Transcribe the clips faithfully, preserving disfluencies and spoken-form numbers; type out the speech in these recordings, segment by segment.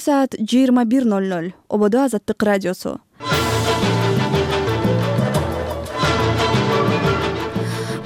Саат жыйырма бир ноль ноль. Ободо Азаттык радиосу.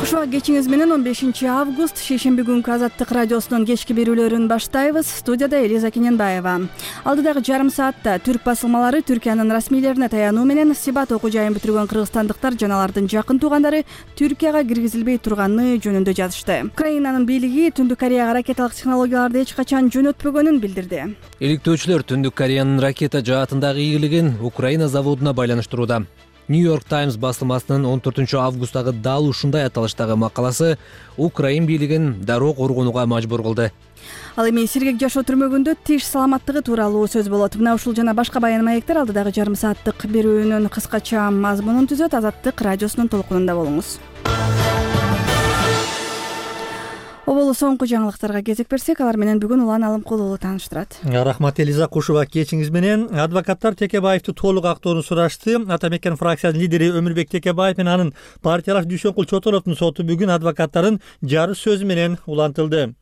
Ушуга кечиңиз менен он бешинчи август шейшемби күнкү Азаттык радиосунун кечки берүүлөрүн баштайбыз. Студияда Элиза Кененбаева. Алдыдагы жарым саатта түрк басылмалары Түркиянын расмийлерине таянуу менен Сибат окуу жайын бүтүргөн кыргызстандыктар жана алардын жакын туугандары Түркияга киргизилбей турганы жөнүндө жазышты. Украинанын бийлиги Түндүк Кореяга ракеталык технологияларды эч качан жөнөтпөгөнүн билдирди. Иликтөөчүлөр Түндүк Кореянын ракета жаатындагы ийгилигин Украина заводуна байланыштырууда. Нью-Йорк Таймс басылмасынын он төртүнчү августтагы дал ушундай аталыштагы макаласы Украин бийлигин дароо коргонууга мажбур кылды. Ал эми сиргек жашоо түрмөгүндө тиш саламаттыгы тууралуу сөз болот. Мына ушул жана башка баян маектер алдыдагы жарым сааттык берүүнүн кыскача мазмунун түзөт. Азаттык радиосунун толкунунда болуңуз. Оболу соңку жаңылыктарга кезек берсек, алар менен бүгүн Улан Алымкулуу тааныштырат. Рахмат Элиза Кушуба, кечиңиз менен. Адвокаттар Текебаевди толук актоону сурашты. Ата Мекен фракциясынын лидери Өмүрбек Текебаев менен анын партиялаш Дүйшөнкул Чотоновдун соту бүгүн адвокаттарын жарыш сөзү менен улантылды.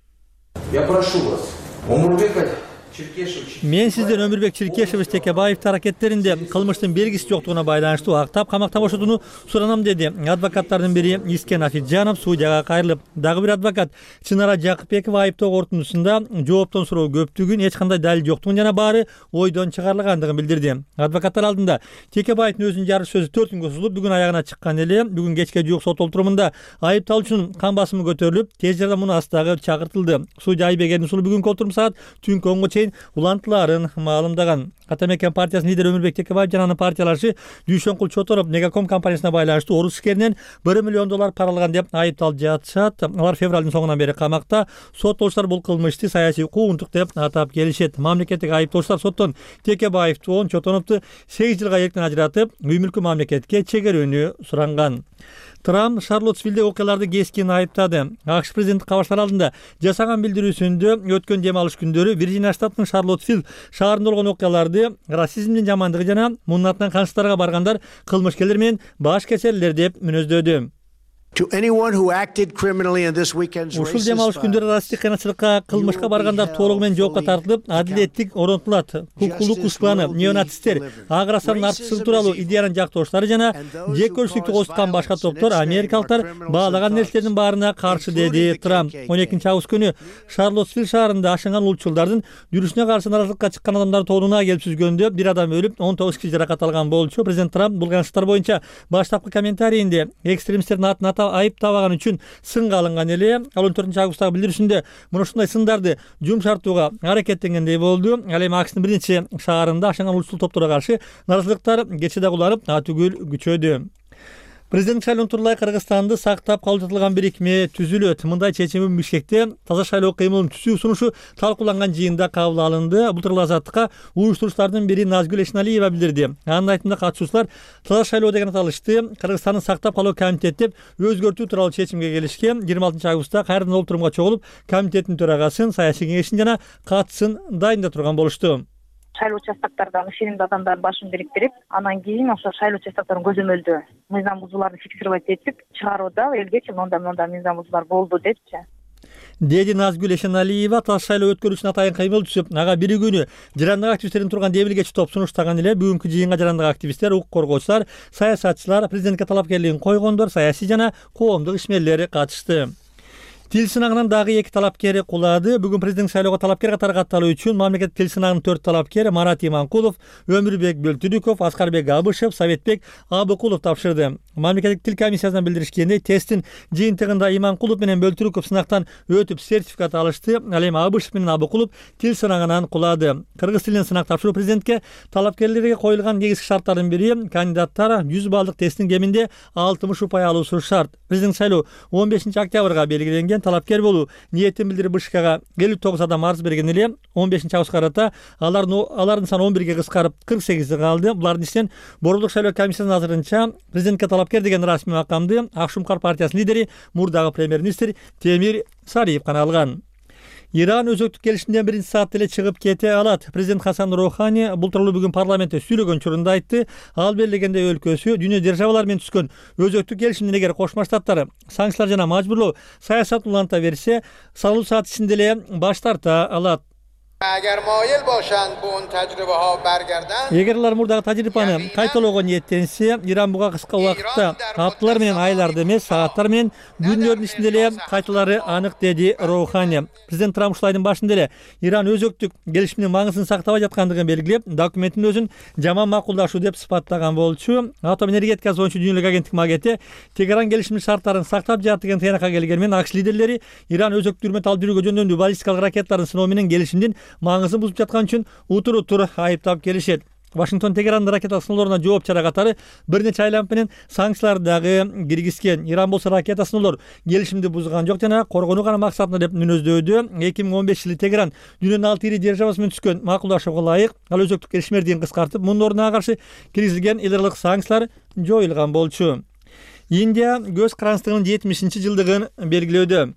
Я прошу вас, Омурбек Черкешевич. Мен сизден Өмүрбек Черкешевич Текебаевдин аракеттеринде кылмыштын белгиси жоктугуна байланыштуу актап камакта бошотууну суранам, деди. Адвокаттардын бири Искен Афиджанов судьяга кайрылып, дагы бир адвокат Чынара Жакыпбекова айыптоо корутундусунда жооптон суроо көптүгүн, эч кандай далил жоктугун жана баары ойдон чыгарылгандыгын билдирди. Адвокаттар алдында Текебаевдин өзүнүн жарыш сөзү төрт күнгө созулуп, бүгүн аягына чыккан эле. Бүгүн кечке жуук сот олтурумунда айыпталуучунун кан басымы көтөрүлүп, тез жардам муунасындагы чакыртылды. Судья Айбек Эрдинсулу бүгүнкү олтурум саат түнкү онго чейин улантыларын маалымдаган. Ата Мекен партиясынын лидери Өмүрбек Текебаев жана анын партиялашы Дүйшөнкул Чотонов Мегаком компаниясына байланыштуу орус ишкеринен бир миллион доллар пара алган деп айыпталып жатышат. Алар февралдын соңунан бери камакта. Соттолуштар бул кылмышты саясий куугунтук деп атап келишет. Мамлекеттик айыптоочулар соттон Текебаевди он Чотоновду сегиз жылга эрктен ажыратып, үй мүлкү мамлекетке чегерүүнү суранган. Трамп Шарлоттсвилдеги окуяларды кескин айыптады. АКШ президенти кабарчылар алдында жасаган билдирүүсүндө өткөн дем алыш күндөрү Вирджиния штатынын Шарлоттсвилл шаарында болгон окуяларды расизмдин жамандыгы жана мунун артынан канчтарга баргандар кылмышкерлер менен баш кечерлер деп мүнөздөдү. Ушул дем алыш күндөрү расисттик кыйынчылыкка, кылмышка баргандар толугу менен жоопко тартылып, адилеттик орнотулат. Укуктуулук кушканы, неонацисттер, ак расанын артыкчылыгы тууралуу идеянын жактоочулары жана жек көрүштүктү козуткан башка топтор америкалыктар баалаган нерселердин баарына каршы, деди Трамп. он экинчи август күнү Шарлоттсвилл шаарында ашынган улутчулдардын жүрүшүнө каршы нааразылыкка чыккан адамдар тобуна келип сүзгөндө бир адам өлүп, он тогуз киши жаракат алган болчу. Президент Трамп бул кылмыштар боюнча баштапкы комментарийинде экстремисттердин атын айып табаган үчүн сынга алынган эле. Ал он төртүнчү августтагы билдирүүсүндө мына ушундай сындарды жумшартууга аракеттенгендей болду. Ал эми АКШтын бир нече шаарында ашынган улутчул топторго каршы нааразылыктар кечээ дагы уланып, атүгүл күчөдү. Президент шайлоону тууралай Кыргызстанды сактап калуу жатылган бирикме түзүлөт. Мындай чечим Бишкекте таза шайлоо кыймылын түзүү сунушу талкууланган жыйында кабыл алынды. Бул тууралуу Азаттыкка уюштуруучулардын бири Назгүл Эшеналиева билдирди. Анын айтымында катышуучулар таза шайлоо деген аталышты Кыргызстандын сактап калуу комитети деп өзгөртүү тууралуу чечимге келишкен. жыйырма алтынчы августта кайрадан олтурумга чогулуп, комитеттин төрагасын, саясий кеңешин жана катысын дайында турган болушту. Шайлоо участоктардан ишенимдүү адамдар башын бириктирип, анан кийин ошо шайлоо участокторун көзөмөлдөө мыйзам бузууларды фиксировать этип чыгарууда элгечи монда монда мыйзам бузуулар болду депчи, деди Назгүл Эшеналиева. Таза шайлоо өткөрүү үчүн атайын кыймыл түзүп, ага бир күнү жарандык активисттердин турган демилгечи топ сунуштаган эле. Бүгүнкү жыйынга жарандык активисттер, укук коргоочулар, саясатчылар, президентке талапкерлигин койгондор, саясий жана коомдук ишмерлер катышты. Тил сынагынан дагы эки талапкер кулады. Бүгүн президент шайлоого талапкер катары катталуу үчүн мамлекеттик тил сынагынын төрт талапкери Марат Иманкулов, Өмүрбек Бөлтүрүков, Аскарбек Абышев, Советбек Абыкулов тапшырды. Мамлекеттик тил комиссиясынан билдиришкендей, тесттин жыйынтыгында Иманкулов менен Бөлтүрүков сынактан өтүп сертификат алышты. Ал эми Абышев менен Абыкулов тил сынагынан кулады. Кыргыз тилинен сынак тапшыруу президентке талапкерлерге коюлган негизги шарттардын бири кандидаттар жүз баллдык тесттин кеминде алтымыш упай алуусу шарт. Президент шайлоо он бешинчи октябрга белгиленген. Талапкер болуу ниетин билдирип Бышкекага элүү тогуз адам арыз берген эле. он бешинчи августка карата алардын алардын саны он бирге кыскарып кырк сегизге калды. Булардын ичинен Борбордук шайлоо комиссиясынын азырынча президентке талапкер деген расмий макамды Ак Шумкар партиясынын лидери, мурдагы премьер-министр Темир Сариев гана алган. Иран өзөктүк келишимден биринчи саатта эле чыгып кете алат. Президент Хасан Роухани бул тууралуу бүгүн парламентте сүйлөгөн учурунда айтты. Ал белгилегендей өлкөсү дүйнө державалары менен түзгөн өзөктүк келишимден эгер Кошмо Штаттар санкциялар жана мажбурлоо саясатын уланта берсе, салуу саат ичинде эле баш тарта алат. Эгер алар мурдагы тажрыйбаны кайталоого ниеттенсе, Иран буга кыска убакытта апталар менен айларды эмес, сааттар менен күндөрдүн ичинде эле кайталары анык, деди Роухани. Президент Трамп ушул айдын башында эле Иран өзөктүк келишимдин маңызын сактабай жаткандыгын белгилеп, документтин өзүн жаман макулдашуу деп сыпаттаган болчу. Атом энергетикасы боюнча дүйнөлүк агенттик Магети Тегеран келишимдин шарттарын сактап жатат деген тыянакка келгени менен АКШ лидерлери Иран өзөктүк үрмөт алып жүрүүгө жөндөмдүү баллистикалык ракеталардын сыноо менен келишимдин маңызын бузуп жаткан үчүн утур-утур айыптап келишет. Вашингтон Тегерандын ракета сыноолоруна жооп чара катары бир нече айланып менен санкцияларды дагы киргизген. Иран болсо ракета сыноолор келишимди бузган жок жана коргонуу гана максатында деп мүнөздөдү. эки миң он бешинчи жылы Тегеран дүйнөнүн алты ири державасы менен түзгөн макулдашууга ылайык ал өзөктүк келишим мерзимин кыскартып, мунун ордуна каршы киргизилген эл аралык санкциялар жоюлган болчу. Индия көз карандысынын жетимишинчи жылдыгын белгилөөдө.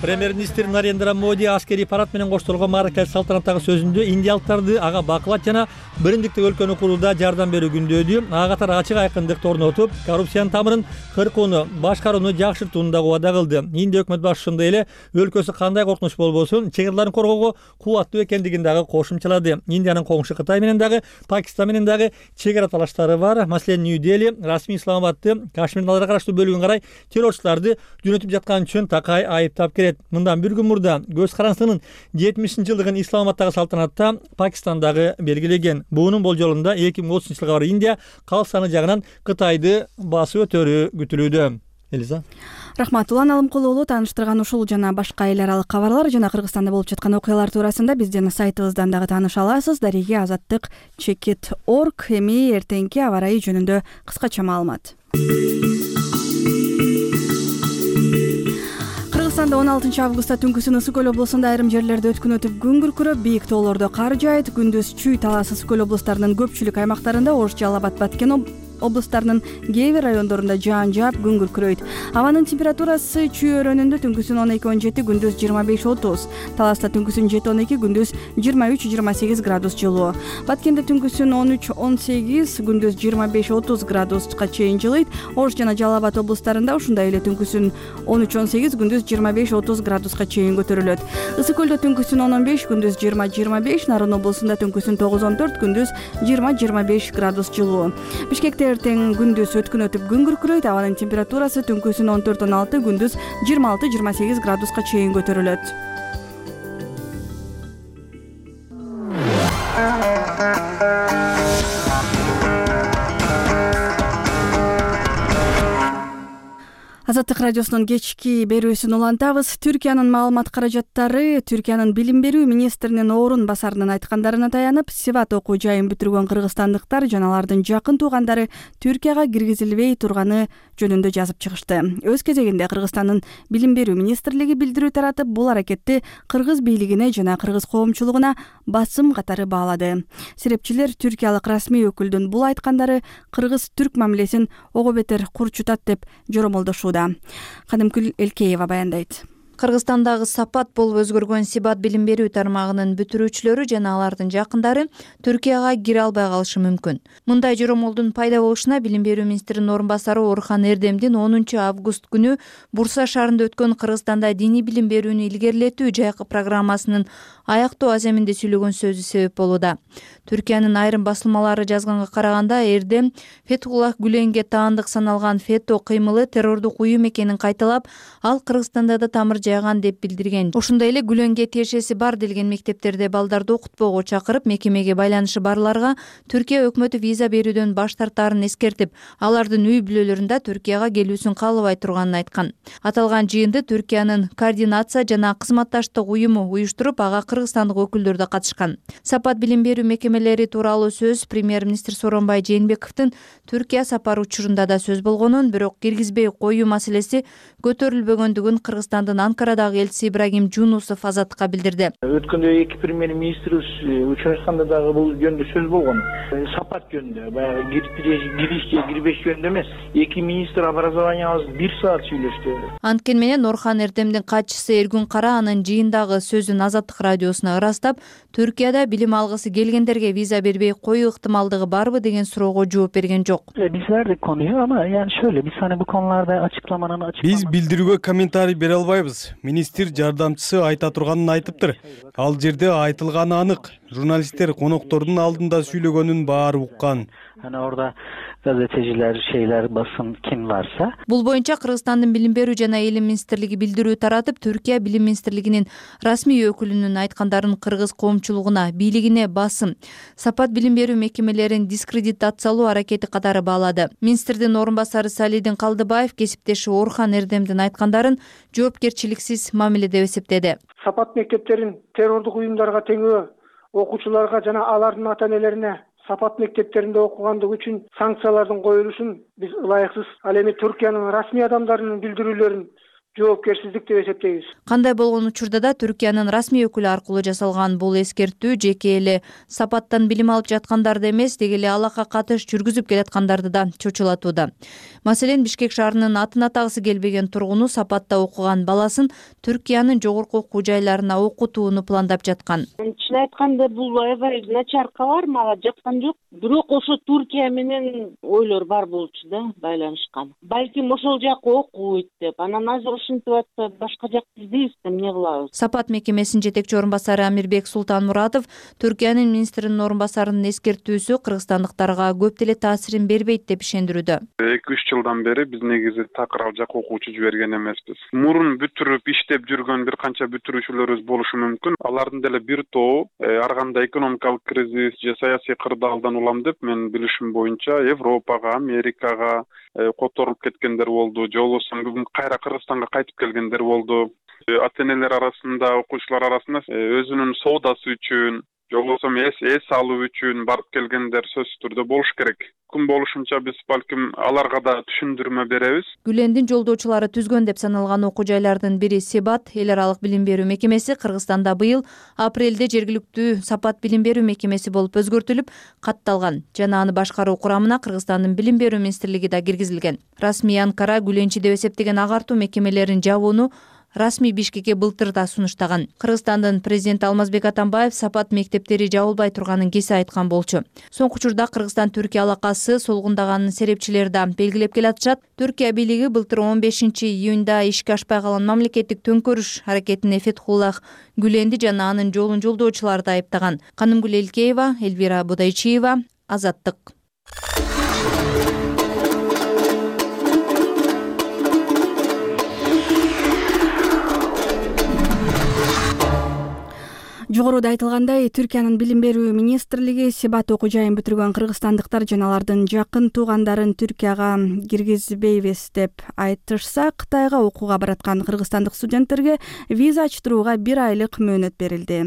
Премьер-министр Нарендра Моди аскерий парад менен коштолгон мааракелик салтанаттагы сөзүндө индиялыктарды ага бакылат жана биримдиктеги өлкөнү курууда жардам берүү күндөөдү ага катары ачык айкындыкты орнотуп, коррупциянын тамырын кыркууну, башкарууну жакшыртууну да убада кылды. Индия өкмөт башчысы ошондой эле өлкөсү кандай коркунуч болбосун, чек жерларын коргоого кубаттуу экендигин дагы кошумчалады. Индиянын коңшу Кытай менен дагы, Пакистан менен дагы чек ара талаштары бар. Маселен, Нью-Дели расмий Исламабадты Кашмирдин аларга караштуу бөлүгүн карай террорчуларды жөнөтүп жаткан үчүн такай айыптап келет. Мындан бир күн мурда көз карандысынын жетимишинчи жылдыгын Исламабадтагы салтанатта Пакистандагы белгилеген. Буунун болжолунда эки миң отузунчу жылга барып Индия калк саны жагынан Кытайды басып өтөрү күтүлүүдө. Элиза. Рахмат. Улан Алымкулуулу тааныштырган ушул жана башка эл аралык кабарлар жана Кыргызстанда болуп жаткан окуялар туурасында биздин сайтыбыздан дагы тааныша аласыз. Дареге азаттык чекит точка орг. Эми эртеңки аба ырайы жөнүндө кыскача маалымат. Кыргызстанда он алтынчы августта түнкүсүн Ысык көл облусунда айрым жерлерде өткөн өтүп күн күркүрөп, бийик тоолордо кар жаайт. Күндүз Чүй, Талас, Ысык көл облустарынын көпчүлүк аймактарында, Ош, Жалал Абад, Баткен облустарынын кээ бир райондорунда жаан жаап, күн күркүрөйт. Абанын температурасы Чүй өрөөнүндө түнкүсүн он эки он жети, күндүз жыйырма беш отуз. Таласта түнкүсүн жети он эки, күндүз жыйырма үч жыйырма сегиз градус жылуу. Баткенде түнкүсүн он үч он сегиз, күндүз жыйырма беш отуз градуска чейин жылыйт. Ош жана Жалал Абад облустарында ушундай эле түнкүсүн он үч он сегиз, күндүз жыйырма беш отуз градуска чейин көтөрүлөт. Ысык көлдө түнкүсүн он он беш, күндүз жыйырма жыйырма беш, Нарын облусунда түнкүсүн тогуз он төрт, күндүз жыйырма жыйырма беш градус жылуу. Бишкекте эртең күндүз өткөн өтүп күн күркүрөйт. Абанын температурасы түнкүсүн он төрт он алты, күндүз жыйырма алты жыйырма сегиз градуска чейин көтөрүлөт. Азаттык радиосунун кечки берүүсүн улантабыз. Түркиянын маалымат каражаттары Түркиянын билим берүү министринин орун басарынын айткандарына таянып, Сиват окуу жайын бүтүргөн кыргызстандыктар жана алардын жакын туугандары Түркияга киргизилбей турганы жөнүндө жазып чыгышты. Өз кезегинде Кыргызстандын билим берүү министрлиги билдирүү таратып, бул аракетти кыргыз бийлигине жана кыргыз коомчулугуна басым катары баалады. Серепчилер түркиялык расмий өкүлдүн бул айткандары кыргыз-түрк мамилесин ого бетер курчутат деп жоромолдошууда. Кадымкүл Элкеева баяндайт. Кыргызстандагы сапат болуп өзгөргөн Сибат билим берүү тармагынын бүтүрүүчүлөрү жана алардын жакындары Түркияга кире албай калышы мүмкүн. Мындай жоромолдун пайда болушуна билим берүү министринин орун басары Орхан Эрдемдин онунчу август күнү Бурса шаарында өткөн Кыргызстанда диний билим берүүнү илгерилетүү жайкы программасынын аяктоо аземинде сүйлөгөн сөзү себеп болууда. Түркиянын айрым басылмалары жазганга караганда, Эрдем Фетхуллах Гүленге таандык саналган фето кыймылы террордук уюм экенин кайталап, ал Кыргызстанда да тамыр жайган деп билдирген. Ошондой эле Гүленге тиешеси бар делген мектептерде балдарды окутпоого чакырып, мекемеге байланышы барларга Түркия өкмөтү виза берүүдөн баш тартаарын эскертип, алардын үй бүлөлөрүндө Түркияга келүүсүн каалабай турганын айткан. Аталган жыйынды Түркиянын координация жана кызматташтык уюму уюштуруп, ага кыргызстандык өкүлдөр да катышкан. Сапат билим берүү мекемелери тууралуу сөз премьер-министр Сооронбай Жээнбековдун Түркия сапары учурунда да сөз болгонун, бирок киргизбей коюу маселеси көтөрүлбөгөндүгүн Кыргызстандын Анкарадагы элчиси Ибрагим Жунусов Азаттыкка билдирди. Өткөндө эки премьер-министрибиз учурашканда дагы бул жөнүндө сөз болгон. Сапат жөнүндө, баягы киришке кирбеш жөнүндө эмес, эки министр образованиябыз бир саат сүйлөштү. Анткени менен Орхан Эрдемдин катчысы Эргүн Кара анын жыйындагы сөзүн Азаттык радиосуна ырастап, Түркияда билим алгысы келгендерге виза бербей коюу ыктымалдыгы барбы деген суроого жооп берген жок. Биз verdik konuyu ama yani şöyle biz hani bu konularda açıklamanın açıklaması Biz bildirүүгө комментарий бере албайбыз. эмес. Министр жардамчысы айта турганын айтыптыр. Ал жерде айтылганы анык. Журналисттер коноктордун алдында сүйлөгөнүн баары уккан. Hani orada gazeteciler, şeyler, basın kim varsa. Бул боюнча Кыргызстандын билим берүү жана элим министрлиги билдирүү таратып, Түркия билим министрлигинин расмий өкүлүнүн айткандарын кыргыз коомчулугуна, бийлигине басым, сапат билим берүү мекемелерин дискредитациялоо аракети катары баалады. Министрдин орун басары Салидин Калдыбаев кесиптеши Орхан Эрдемдин айткандарын жоопкерчиликсиз мамиле деп эсептеди. Сапат мектептерин террордук уюмдарга теңөө, окуучуларга жана алардын ата-энелерине сапат мектептеринде окугандыгы үчүн санкциялардын коюлушун биз ылайыксыз. Ал эми Түркиянын расмий адамдарынын билдирүүлөрүн жоопкерсиздик деп эсептейбиз. Кандай болгон учурда да Түркиянын расмий өкүлү аркылуу жасалган бул эскертүү жеке эле сапаттан билим алып жаткандарды эмес, деги эле алакка катыш жүргүзүп келаткандарды да чочулатууда. Маселен, Бишкек шаарынын атын атагысы келбеген тургуну сапатта окуган баласын Түркиянын жогорку окуу жайларына окутууну пландап жаткан. Чын айтканда бул аябай начаркалар мага жаккан жок. Бирок ошо Түркия менен ойлор бар болчу да, байланышкан. Балким ошол жакка окуйт деп. Анан азыр ушинтип атса башка жакты издейбиз да, эмне кылабыз? Сапат мекемесинин жетекчи орун басары Амирбек Султанмуратов Түркиянын министринин орун басарынын эскертүүсү кыргызстандыктарга көп деле таасирин бербейт деп ишендирүүдө. эки үч жылдан бери биз негизи такыр ал жака окуучу жиберген эмеспиз. Мурун бүтүрүп иштеп жүргөн бир канча бүтүрүүчүлөрүбүз болушу мүмкүн. Алардын деле бир тобу ар кандай экономикалык кризис же саясий кырдаалдан улам деп мен билишим боюнча Европага, Америкага которуп кеткендер болду. Же болбосо бүгүн кайра Кыргызстанга кайтып келгендер болду. Ата-энелер арасында, окуучулар арасында өзүнүн соодасы үчүн, же болбосо эс алуу үчүн барып келгендер сөзсүз түрдө болуш керек. Күн болушунча биз балким аларга да түшүндүрмө беребиз. Гүлендин жолдоочулары түзгөн деп саналган окуу жайлардын бири Себат эл аралык билим берүү мекемеси Кыргызстанда быйыл апрелде жергиликтүү сапат билим берүү мекемеси болуп өзгөртүлүп, катталган жана аны башкаруу курамына Кыргызстандын билим берүү министрлиги да киргизилген. Расмий Анкара Гүленчи деп эсептеген агартуу мекемелерин жабууну расмий Бишкекке былтыр да сунуштаган. Кыргызстандын президенти Алмазбек Атамбаев сапат мектептери жабылбай турганын кесе айткан болчу. Соңку учурда Кыргызстан Түркия алакасы солгундаганын серепчилери да белгилеп келатышат. Түркия бийлиги былтыр он бешинчи июнда ишке ашпай калган мамлекеттик төңкөрүш аракетине Фетхуллах Гүленди жана анын жолун жолдоочуларды айыптаган. Канымгүл Элкеева, Эльвира Будайчиева, Азаттык. Жогоруда айтылгандай, Түркиянын билим берүү министрлиги Себат окуу жайын бүтүргөн кыргызстандыктар жана алардын жакын туугандарын Түркияга киргизбейбиз деп айтышса, Кытайга окууга бараткан кыргызстандык студенттерге виза ачтырууга бир айлык мөөнөт берилди.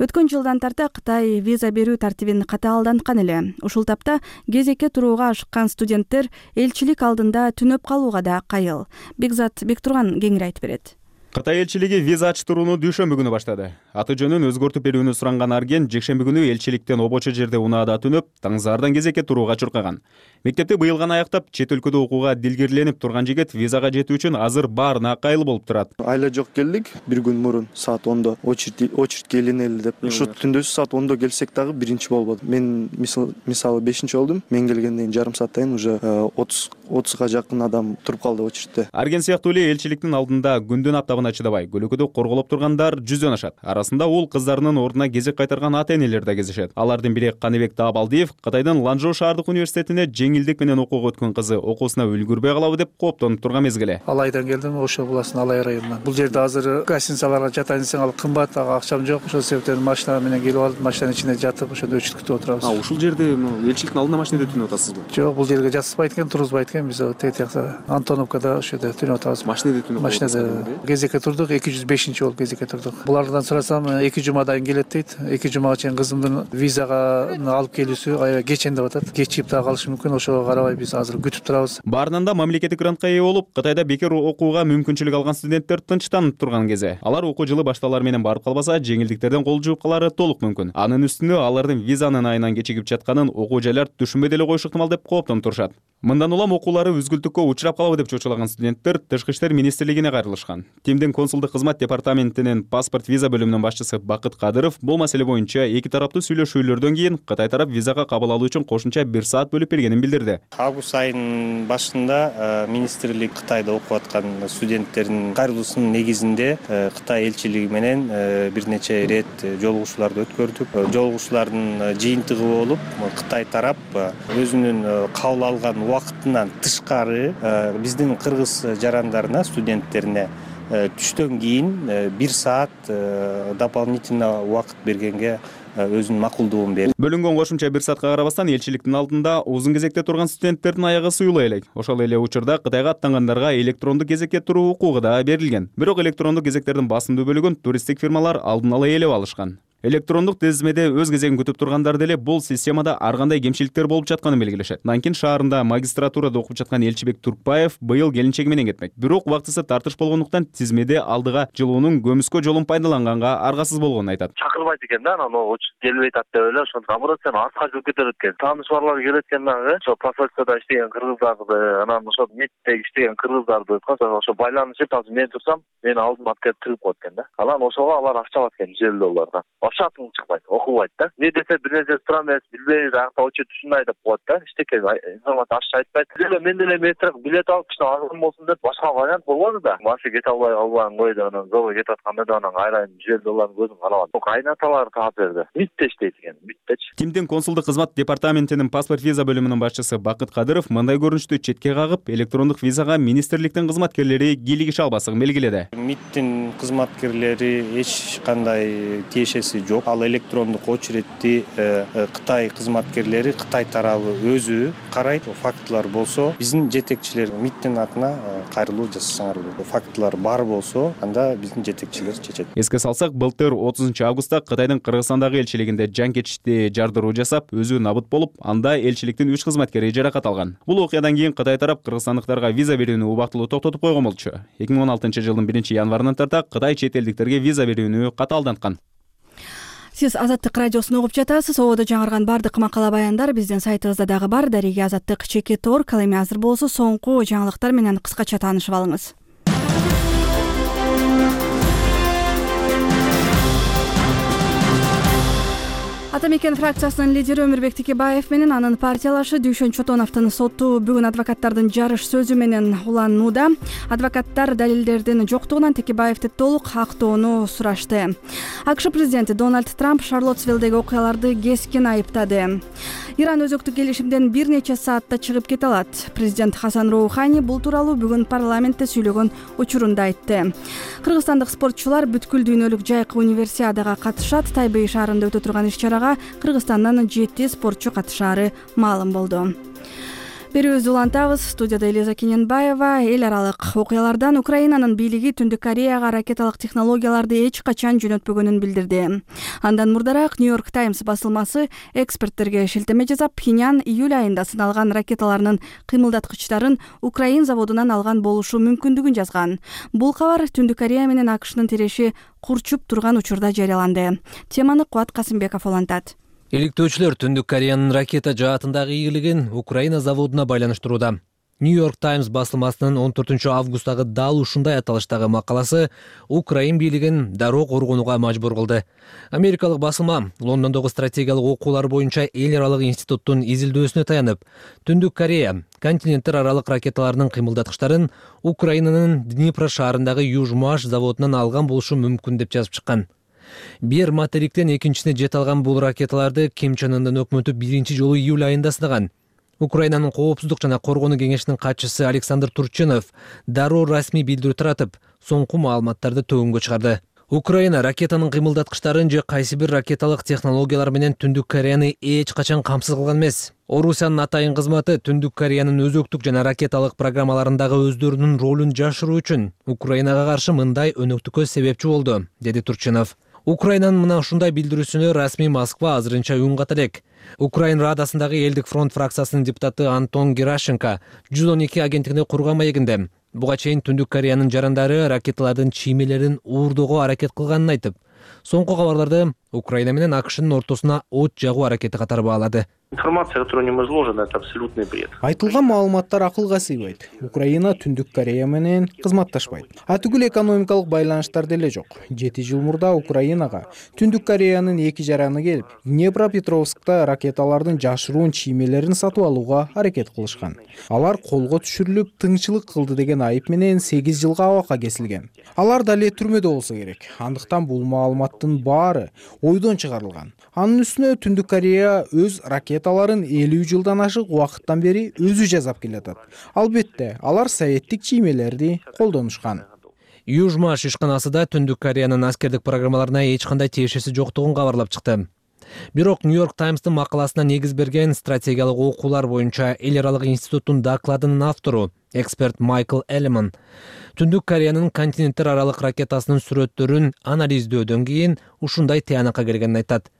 Өткөн жылдан тарта Кытай виза берүү тартибин катаалданткан эле. Ушул тапта кезекке турууга ашыккан студенттер элчилик алдында түнөп калууга да кайыл. Бекзат Бектурган кеңири айтып берет. Кытай элчилиги виза ачтырууну дүйшөмбү күнү баштады. Аты жөнүн өзгөртүп берүүнү суранган Арген жекшемби күнү элчиликтен обочо жерде унаада түнөп, таңзаардан кезекке турууга чуркаган. Мектепти быйыл гана аяктап, чет өлкөдө окууга дилгирленип турган жигит визага жетүү үчүн азыр баарына кайыл болуп турат. Айла жок келдик, бир күн мурун саат ондо очередь очередь келинели деп. Ушу түндөсү саат ондо келсек дагы биринчи болбоду. Мен мисалы бешинчи болдум. Мен келгенден жарым сааттан уже отуз отузга жакын адам туруп калды очередте. Арген сыяктуу эле элчиликтин алдында күндүн аптабына чыдабай көлөкөдө корголоп тургандар жүздөн ашат. Арасында ул кыздарынын ордуна кезек кайтарган ата-энелер да кезишет. Алардын бири Каныбек Таабалдиев Кытайдын Ланчжоу шаардык университетине жеңилдик менен окууга өткөн кызы окуусуна үлгүрбөй калабы деп кооптонуп турган мезгили. Алайдан келдим, ошо буласын Алай районунан. Бул жерде азыр гостиницаларга жатайын десең ал кымбат, ага акчам жок. Ошол себептен машина менен келип алып, машинанын ичинде жатып, ошондо өчүт күтүп отурабыз. А ушул жерде элчиликтин алдында машинада түнөп атасызбы? Жок, бул жерге жатышпайт экен, тургузбайт экен. Биз тет жакта Антоновкада ошо жерде түнөп атабыз. Машинада түнөп атабыз. Машинада кезекке турдук, эки жүз бешинчи болуп кезекке турдук. Булардан сурасам, эки жумадан келет дейт. эки жумага чейин кызымдын визага алып келүүсү аябай кечен деп атат. Кечип да калышы мүмкүн. Ошого карабай биз азыр күтүп турабыз. Баарынан да мамлекеттик грантка ээ болуп, Кытайда бекер окууга мүмкүнчүлүк алган студенттер тынчтанып турган кези. Алар окуу жылы башталар менен барып калбаса, жеңилдиктерден кол жууп калары толук мүмкүн. Анын үстүнө алардын визанын айынан кечигип жатканын окуу жайлар түшүнбөй деле коюшу ыктымал деп кооптонуп турушат. Мындан улам окуулары үзгүлтүккө учурап калабы деп чочулаган студенттер Тышкы иштер министрлигине кайрылышкан. Тимдин консулдук кызмат департаментинин паспорт виза бөлүмүнүн башчысы Бакыт Кадыров бул маселе боюнча эки тараптуу сүйлөшүүлөрдөн кийин Кытай тарап визага кабыл алуу үчүн кошумча бир саат бөлүп бергенин билдирди. Август айынын башында министрлик Кытайда окуп аткан студенттердин кайрылуусунун негизинде Кытай элчилиги менен бир нече ирет жолугушууларды өткөрдүк. Жолугушуулардын жыйынтыгы болуп Кытай тарап өзүнүн кабыл алган убактынан тышкары биздин кыргыз жарандарына, студенттерине түштөн кийин бир саат дополнительно убакыт бергенге өзүнүн макулдугун берди. Бөлүнгөн кошумча бир саатка карабастан элчиликтин алдында узун кезекте турган студенттердин аягы суюла элек. Ошол эле учурда Кытайга аттангандарга электрондук кезекке туруу укугу да берилген. Бирок электрондук кезектердин басымдуу бөлүгүн туристтик фирмалар алдын ала ээлеп алышкан. Электрондук тизмеде өз кезегин күтүп тургандар деле бул системада ар кандай кемчиликтер болуп жатканын белгилешет. Нанкин шаарында магистратурада окуп жаткан Элчибек Туркбаев быйыл келинчеги менен кетмек. Бирок убактысы тартыш болгондуктан тизмеде алдыга жылуунун көмүскө жолун пайдаланганга аргасыз болгонун айтат. Чакырбайт экен да, анан учуп келбейт атты эле, ошондо наоборот сен артка жүрүп кетет экен. Тааныш барлар келет экен дагы, ошо посольствода иштеген кыргыздарды, анан ошо меттеги иштеген кыргыздарды ошо байланышып, азыр мен турсам, мени алдыма алып келип тыгып коет экен да. Анан ошого алар акча алат экен жүз элүү доллардан. Ошатың чыкпайт, окубайт да. Не десе бир нерсе тура эмес, билбейбиз, акта очу ушундай деп коет да. Эчтеке информация ашча айтпайт. Деле мен деле метрик билет алып кичине арзан болсун деп башка вариант болбоду да. Машина кете албай албайм койду, анан зоого кетип атканда да анан айрайын жүз элүү долларын көзүм карабады. Кайнаталар таап берди. Митте иштейт экен, миттечи. Тимдин консулдук кызмат департаментинин паспорт виза бөлүмүнүн башчысы Бакыт Кадыров мындай көрүнүштү четке кагып, электрондук визага министрликтин кызматкерлери кийлигише албаслыгын белгиледи. Миттин кызматкерлери эч кандай тиешеси жок. Ал электрондук очередти Кытай кызматкерлери, Кытай тарабы өзү карайт. Фактылар болсо, биздин жетекчилер миттин атына кайрылуу жасасаңар болот. Фактылар бар болсо, анда биздин жетекчилер чечет. Эске салсак, былтыр отузунчу августта Кытайдын Кыргызстандагы элчилигинде жанкечти жардыруу жасап, өзү набыт болуп, анда элчиликтин үч кызматкери жаракат алган. Бул окуядан кийин Кытай тарап кыргызстандыктарга виза берүүнү убактылуу токтотуп койгон болчу. эки миң он алтынчы жылдын биринчи январынан тарта Кытай чет элдиктерге виза берүүнү катаалданткан. Сиз Азаттык радиосун угуп жатасыз. Ободо жаңырган бардык макала баяндар биздин сайтыбызда дагы бар. Дарига Азаттык чекит орг. Ал эми азыр болсо соңку жаңылыктар менен кыскача таанышып алыңыз. Ата мекен фракциясынын лидери Өмүрбек Текебаев менен анын партиялашы Дүйшөн Чотоновдун соту бүгүн адвокаттардын жарыш сөзү менен уланууда. Адвокаттар далилдердин жоктугунан Текебаевди толук актоону сурашты. АКШ президенти Дональд Трамп Шарлоттсвиллдеги окуяларды кескин айыптады. Иран өзөктүк келишимден бир нече саатта чыгып кете алат. Президент Хасан Роухани бул тууралуу бүгүн парламентте сүйлөгөн учурунда айтты. Кыргызстандык спортчулар бүткүл дүйнөлүк жайкы универсиадага катышат. Тайбэй шаарында өтө турган иш-чарага Кыргызстандан жети спортчу катышаары маалым болду. Берүүбүздү улантабыз. Студияда Элиза Кененбаева. Эл аралык окуялардан Украинанын бийлиги Түндүк Кореяга ракеталык технологияларды эч качан жөнөтпөгөнүн билдирди. Андан мурдараак Нью-Йорк Таймс басылмасы эксперттерге шилтеме жасап, Пхеньян июль айында сыналган ракеталарынын кыймылдаткычтарын Украин заводунан алган болушу мүмкүндүгүн жазган. Бул кабар Түндүк Корея менен АКШнын тиреши курчуп турган учурда жарыяланды. Теманы Кубат Касымбеков улантат. Иликтөөчүлөр Түндүк Кореянын ракета жаатындагы ийгилигин Украина заводуна байланыштырууда. Нью-Йорк Таймс басылмасынын он төртүнчү августагы дал ушундай аталыштагы макаласы Украин бийлигин дароо коргонууга мажбур кылды. Америкалык басылма Лондондогу стратегиялык окуулар боюнча эл аралык институттун изилдөөсүнө таянып, Түндүк Корея континенттер аралык ракеталарынын кыймылдаткычтарын Украинанын Днепро шаарындагы Южмаш заводунан алган болушу мүмкүн деп жазып чыккан. Бир материктен экинчисине жете алган бул ракеталарды Ким Чен Ындын өкмөтү биринчи жолу июль айында сынаган. Украинанын коопсуздук жана коргонуу кеңешинин катчысы Александр Турчинов дароо расмий билдирүү таратып, соңку маалыматтарды төгүнгө чыгарды. Украина ракетанын кыймылдаткычтарын же кайсы бир ракеталык технологиялар менен Түндүк Кореяны эч качан камсыз кылган эмес. Орусиянын атайын кызматы Түндүк Кореянын өзөктүк жана ракеталык программаларындагы өздөрүнүн ролун жашыруу үчүн Украинага каршы мындай өнөктүккө себепчи болду, деди Турчинов. Украинанын мына ушундай билдирүүсүнө расмий Москва азырынча үн ката элек. Украин Радасындагы Элдик фронт фракциясынын депутаты Антон Герашенко жүз он эки агенттигине курган маегинде буга чейин Түндүк Кореянын жарандары ракеталардын чиймелерин уурдоого аракет кылганын айтып, соңку кабарларды Украина менен АКШнын ортосуна от жагуу аракети катары баалады. Информация, которая в нем изложена, это абсолютный бред. Айтылган маалыматтар акылга сыйбайт. Украина Түндүк Корея менен кызматташпайт. А түгүл экономикалык байланыштар деле жок. жети жыл мурда Украинага Түндүк Кореянын эки жараны келип, Днепропетровскта ракеталардын жашыруун чиймелерин сатып алууга аракет кылышкан. Алар колго түшүрүлүп, тыңчылык кылды деген айып менен сегиз жылга абакка кесилген. Алар дале түрмөдө болсо керек. Андыктан бул маалыматтын баары ойдон чыгарылган. Анын үстүнө Түндүк Корея өз ракеталарын элүү жылдан ашык убакыттан бери өзү жасап келатат. Албетте, алар советтик чиймелерди колдонушкан. Южмаш ишканасы да Түндүк Кореянын аскердик программаларына эч кандай тиешеси жоктугун кабарлап чыкты. Бирок Нью-Йорк Таймстын макаласына негиз берген стратегиялык окуулар боюнча эл аралык институттун докладынын автору, эксперт Майкл Элеман, Түндүк Кореянын континенттер аралык ракетасынын сүрөттөрүн анализдөөдөн кийин ушундай тыянакка келгенин айтат.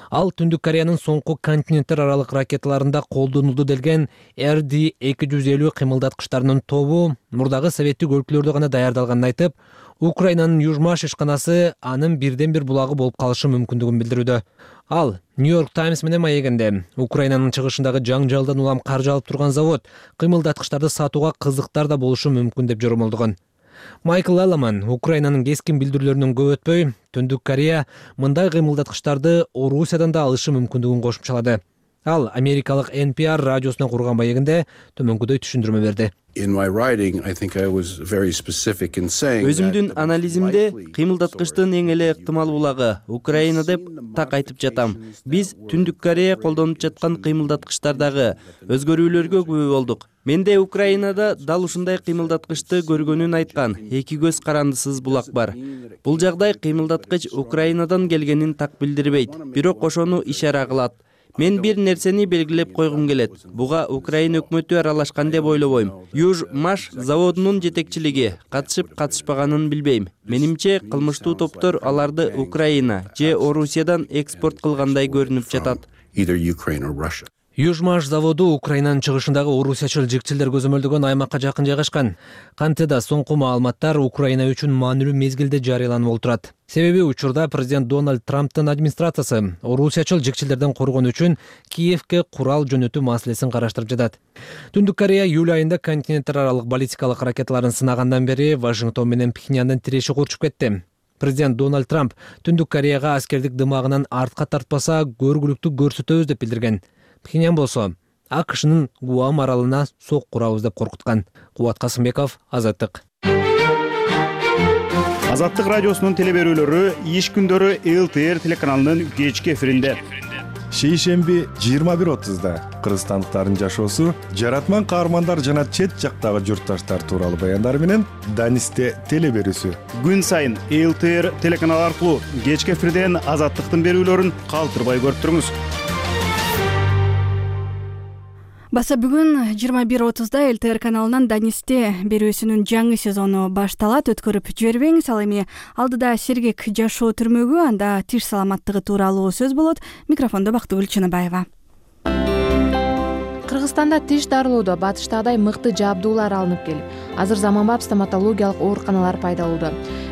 Ал Түндүк Кореянын соңку континенттер аралык ракеталарында колдонулду делген эр ди эки жүз элүү кыймылдаткычтарынын тобу мурдагы советтик өлкөлөрдө гана даярдалганын айтып, Украинанын Южмаш ишканасы анын бирден бир булагы болуп калышы мүмкүндүгүн билдирүүдө. Ал Нью-Йорк Таймс менен маегинде Украинанын чыгышындагы жаңжалдан улам каржы алып турган завод кыймылдаткычтарды сатууга кызыктар да болушу мүмкүн деп жоромолдогон. Майкл Элеман Украинанын кескин билдирүүлөрүнөн көп өтпөй, Түндүк Корея мындай кыймылдаткычтарды Орусиядан да алышы мүмкүндүгүн кошумчалады. Ал америкалык эн пи ар радиосуна курган маегинде төмөнгүдөй түшүндүрмө берди. Өзүмдүн анализимде кыймылдаткычтын эң эле ыктымал булагы Украина деп так айтып жатам. Биз Түндүк Корея колдонуп жаткан кыймылдаткычтардагы өзгөрүүлөргө күбө болдук. Менде Украинада дал ушундай кыймылдаткычты көргөнүн айткан эки көз карандысыз булак бар. Бул жагдай кыймылдаткыч Украинадан келгенин так билдирбейт, бирок ошону ишара кылат. Мен бир нерсени белгилеп койгум келет. Буга Украина өкмөтү аралашкан деп ойлобойм. Южмаш заводунун жетекчилиги катышып катышпаганын билбейм. Менимче кылмыштуу топтор аларды Украина же Орусиядан экспорт кылгандай көрүнүп жатат. Южмаш заводу Украинанын чыгышындагы орусиячыл жикчилдер көзөмөлдөгөн аймакка жакын жайгашкан. Кантеда соңку маалыматтар Украина үчүн маанилүү мезгилде жарыяланып олтурат. Себеби учурда президент Дональд Трамптын администрациясы орусиячыл жикчилдерден коргон үчүн Киевке курал жөнөтүү маселесин караштырып жатат. Түндүк Корея июль айында континенттер аралык баллистикалык ракеталарын сынагандан бери Вашингтон менен Пхеньяндын тиреши курчуп кетти. Президент Дональд Трамп Түндүк Кореяга аскердик дымагынан артка тартпаса көргүлүктү көрсөтөбүз деп билдирген. Пхеньян болсо а ка шнын Гуам аралына сок курабыз деп коркуткан. Кубат Касымбеков, Азаттык. Азаттык радиосунун телеберүүлөрү иш күндөрү эл тэ эр телеканалынын кечки эфиринде. Шейшемби жыйырма бир отузда кыргызстандыктардын жашоосу, жаратман каармандар жана чет жактагы журтташтар тууралуу баяндар менен Данисте телеберүүсү. Күн сайын эл тэ эр телеканалы аркылуу кечки эфирден Азаттыктын берүүлөрүн калтырбай көрүп туруңуз. Баса бүгүн жыйырма бир отузда эл тэ эр каналынан Данисте берүүсүнүн жаңы сезону башталат. Өткөрүп жибербеңиз. Ал эми алдыда сергек жашоо түрмөгү, анда тиш саламаттыгы тууралуу сөз болот. Микрофондо Бактыгүл Чыныбаева. Кыргызстанда тиш дарылоодо батыштагыдай мыкты жабдуулар алынып келип, азыр заманбап стоматологиялык ооруканалар пайда болду.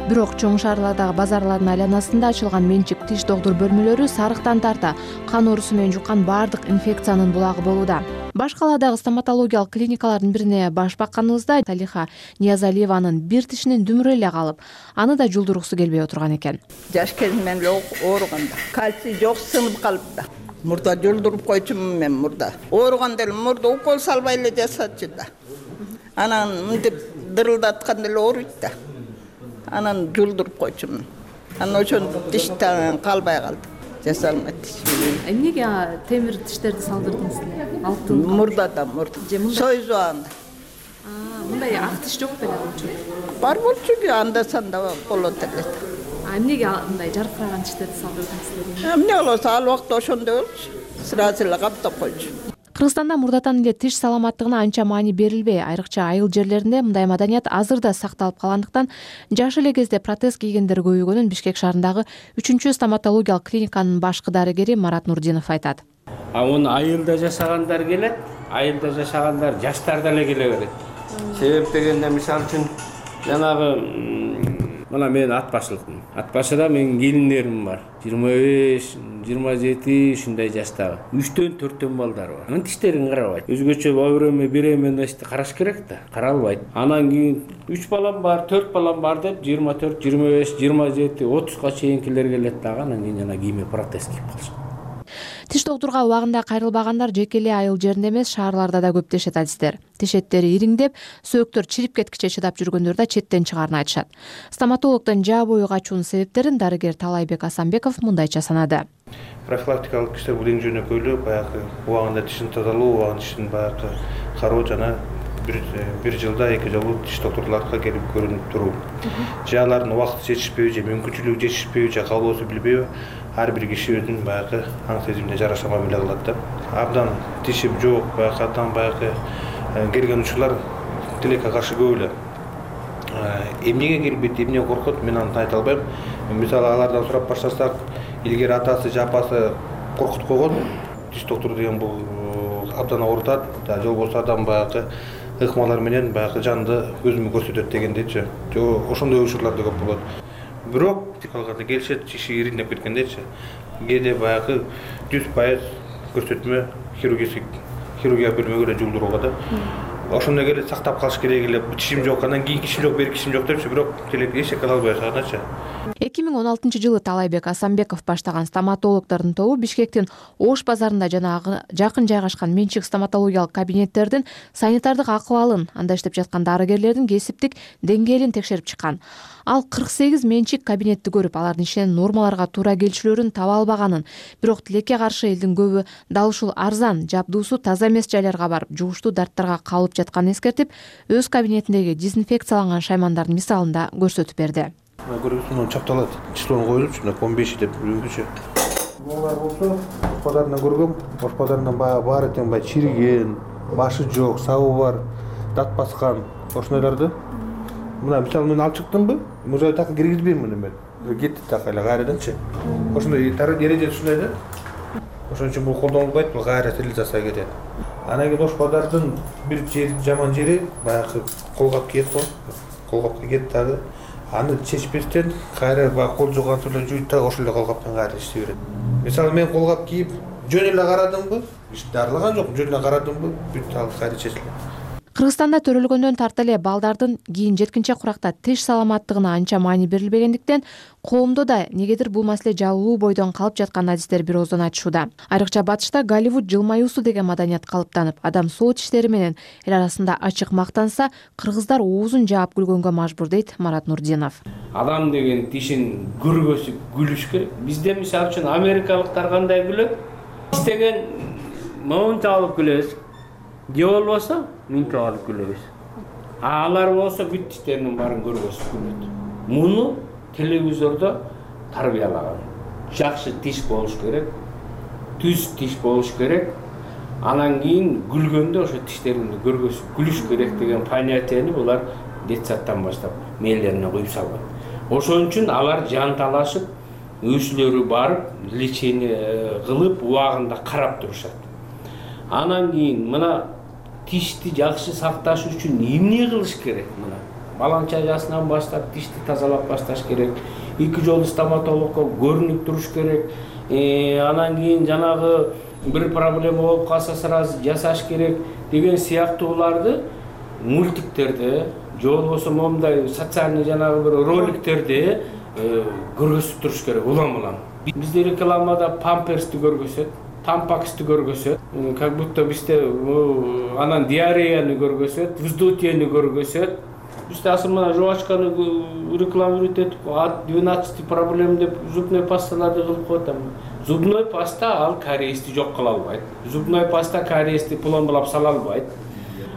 Бирок чоң шаарлардагы базарлардын айланасында ачылган менчик тиш доктур бөлмөлөрү сарыктан тарта кан оорусу менен жуккан баардык инфекциянын булагы болууда. Баш каладагы стоматологиялык клиникалардын бирине баш бакканыбызда Талиха Ниязалиеванын бир тишинин дүмүрү эле калып, аны да жулдургусу келбей отурган экен. Жаш кезимден эле ооруганда кальций жок, сынып калыпты. Мурда жулдуруп койчумун мен мурда. Ооруганда эле мурда укол салбай эле жасатчу да. Анан мынтип дырылдатканда эле ооруйт да. Анан жулдуруп койчумун. Анан ошон тиштен калбай калды. Жасалмайт. Эмнеге темир тиштерди салдырдыңыз эле? Алтын. Мурда да мурда. Союз убагында. А, мындай ак тиш жок беле болчу? Бар болчу, анда санда болот эле. А эмнеге мындай жаркыраган тиштерди салдырдыңыз? Эмне болосо, ал убакта ошондой болчу. Сразу эле каптап койчу. Кыргызстанда мурдатан эле тиш саламаттыгына анча маани берилбей, айрыкча айыл жерлеринде мындай маданият азыр да сакталып калгандыктан жаш эле кезде протез кийгендер көбөйгөнүн Бишкек шаарындагы үчүнчү стоматологиялык клиниканын башкы дарыгери Марат Нурдинов айтат. А он айылда жашагандар келет, айылда жашагандар жаштар деле келе берет. Себеп дегенде мисалы үчүн жанагы мына мен ат башылыкмын. Ат башыда менин келиндерим бар. жыйырма беш, жыйырма жети ушундай жаштагы. үчтөн төрттөн балдары бар. Анын тиштерин карабайт. Өзгөчө бабыреме беременности караш керек да, каралбайт. Анан кийин үч балам бар, төрт балам бар деп жыйырма төрт, жыйырма беш, жыйырма жети, отузга чейинкилер келет дагы, анан кийин жана кийиме протез кийип калышат. Тиш доктурга убагында кайрылбагандар жеке эле айыл жеринде эмес, шаарларда да көп дешет адистер. Тиш эттери ириңдеп, сөөктөр чирип кеткиче чыдап жүргөндөр да четтен чыгаарын айтышат. Стоматологдон жаа бою качуунун себептерин дарыгер Талайбек Асанбеков мындайча санады. Профилактикалык иштер бул эң жөнөкөйлүү, баягы убагында тишин тазалоо, убагында тишин баягы кароо жана бир жылда эки жолу тиш доктурларга келип көрүнүп туруу. Жаалардын убакыты жетишпейби же мүмкүнчүлүгү жетишпейби же каалоосу билбейби, ар бир киши өзүнүн баягы аң сезимине жараша мамиле кылат да. Абдан тишим жок, баягы атан баягы келген учурлар тилекке каршы көп эле. Эмнеге келбейт, эмне коркот, мен аны айта албайм. Мисалы алардан сурап баштасак, илгери атасы же апасы коркутуп койгон, тиш доктуру деген бул абдан оорутат, да жол болсо адам баягы ыкмалар менен баягы жанды өзүмө көрсөтөт дегендейчи. Ошондой учурлар да көп болот. Бирок алганда келишет, тиши ириңдеп кеткендейчи. Кээде баягы жүз пайыз көрсөтмө хирургия хирургия бөлмөгө жуулдурууга да. Ошондой келе сактап калыш керек эле. Тишим жок, анан кийин тишим жок, берки тишим жок депчи, бирок тилек эч кыла албай жатачы. эки миң он алтынчы жылы Талайбек Асанбеков баштаган стоматологдордун тобу Бишкектин Ош базарында жана жакын жайгашкан менчик стоматологиялык кабинеттердин санитардык акыбалын, анда иштеп жаткан дарыгерлердин кесиптик деңгээлин текшерип чыккан. Ал кырк сегиз менчик кабинетти көрүп, алардын ишинен нормаларга туура келчүлөрүн таба албаганын, бирок тилекке каршы элдин көбү дал ушул арзан, жабдуусу таза эмес жайларга барып, жугуштуу дарттарга кабылып жатканын эскертип, өз кабинетиндеги дезинфекцияланган шаймандардын мисалын да көрсөтүп берди. Көрүңүз, чапталат. Числону коюлупчу, он беш деп жүргүчү. Булар болсо, Ош базарынан көргөм, Ош базарынан баягы баары тең баягы чириген, башы жок, сабы бар, дат баскан, ошондойлорду. Мына мисалы мен алып чыктымбы, мына так киргизбейм муну мен. Кетти так эле кайраданчы. Ошондой эреже ушундай да. Ошон үчүн бул колдонулбайт, бул кайра стерилизация кетет. Анан кийин Ош базардын бир жаман жери баягы колгап кийет го. Колгап кийет дагы. Аны чечпестен кайра баягы кол жууган эле жуйт да ошол эле колгаптан кайра иштей берет. Мисалы мен колгап кийип жөн эле карадымбы, иш дарылаган жок, жөн эле карадымбы, бүт ал кайра чечилет. Кыргызстанда төрөлгөндөн тарта эле балдардын кийин жеткинче куракта тиш саламаттыгына анча маани берилбегендиктен коомдо да негедир бул маселе жабылуу бойдон калып жатканын адистер бир ооздон айтышууда. Айрыкча батышта Голливуд жылмаюусу деген маданият калыптанып, адам соо тиштери менен эл арасында ачык мактанса, кыргыздар оозун жаап күлгөнгө мажбур дейт Марат Нурдинов. Адам деген тишин көргөсүп күлүш керек. Бизде мисалы үчүн америкалыктар кандай күлөт? Истеген моунча алып күлөбүз. Же болбосо мынча алып күлөбүз. Алар болсо бүт тиштеринин баарын көргөсүп күлөт. Муну телевизордо тарбиялаган. Жакшы тиш болуш керек, түз тиш болуш керек. Анан кийин күлгөндө ошо тиштеринди көргөсүп күлүш керек деген понятияны булар детсадтан баштап мээлерине куюп салган. Ошон үчүн алар жанталашып, өзүлөрү барып, лечение кылып, убагында карап турушат. Анан кийин мына тишти жакшы сакташ үчүн эмне кылыш керек мына? Баланча жашынан баштап тишти тазалап башташ керек. Эки жолу стоматологко көрүнүп туруш керек. Анан кийин жанагы бир проблема болуп калса сразу жасаш керек деген сыяктууларды мультиктерде, же болбосо момундай социальный жанагы бир роликтерде көргөзүп туруш керек улам-улам. Бизде рекламада памперсти көргөзөт, тампаксти көргөзөт, как будто бизде анан диареяны көргөзөт, вздутиени көргөзөт. Бизде асыл мына жубачканы реклама өтөт, двенадцать проблем деп зубной пасталарды кылып коет. Зубной паста ал кариести жок кыла албайт. Зубной паста кариести пломбалап сала албайт.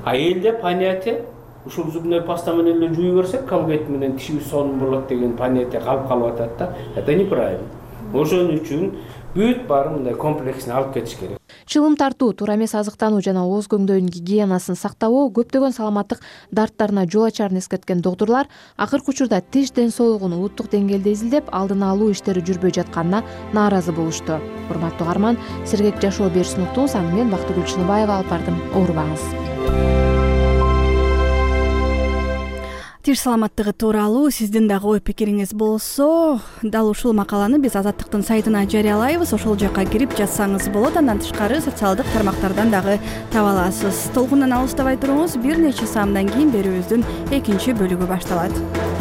А элде понятие ушул зубной паста менен эле жууй берсек, колгейт менен тишибиз сонун болот деген понятие калып калып атат да. Это неправильно. Ошон үчүн бүт баары мындай комплексин алып кетиш керек. Чылым тартуу, туура эмес азыктануу жана ооз көңдөйүнүн гигиенасын сактабоо көптөгөн саламаттык дарттарына жол ачарын эскерткен доктурлар акыркы учурда тиш ден соолугун улуттук деңгээлде изилдеп, алдын алуу иштери жүрбөй жатканына нааразы болушту. Урматтуу угарман, Сергек жашоо берүүсүн уктуңуз, аны мен Бактыгүл Чыныбаева алып бардым. Оорубаңыз. Тиш саламаттыгы тууралуу сиздин дагы ой пикириңиз болсо, дал ушул макаланы биз Азаттыктын сайтына жарыялайбыз. Ошол жакка кирип жазсаңыз болот. Андан тышкары социалдык тармактардан дагы таба аласыз. Толкундан алыстабай туруңуз. Бир нече саамдан кийин берүүбүздүн экинчи бөлүгү башталат.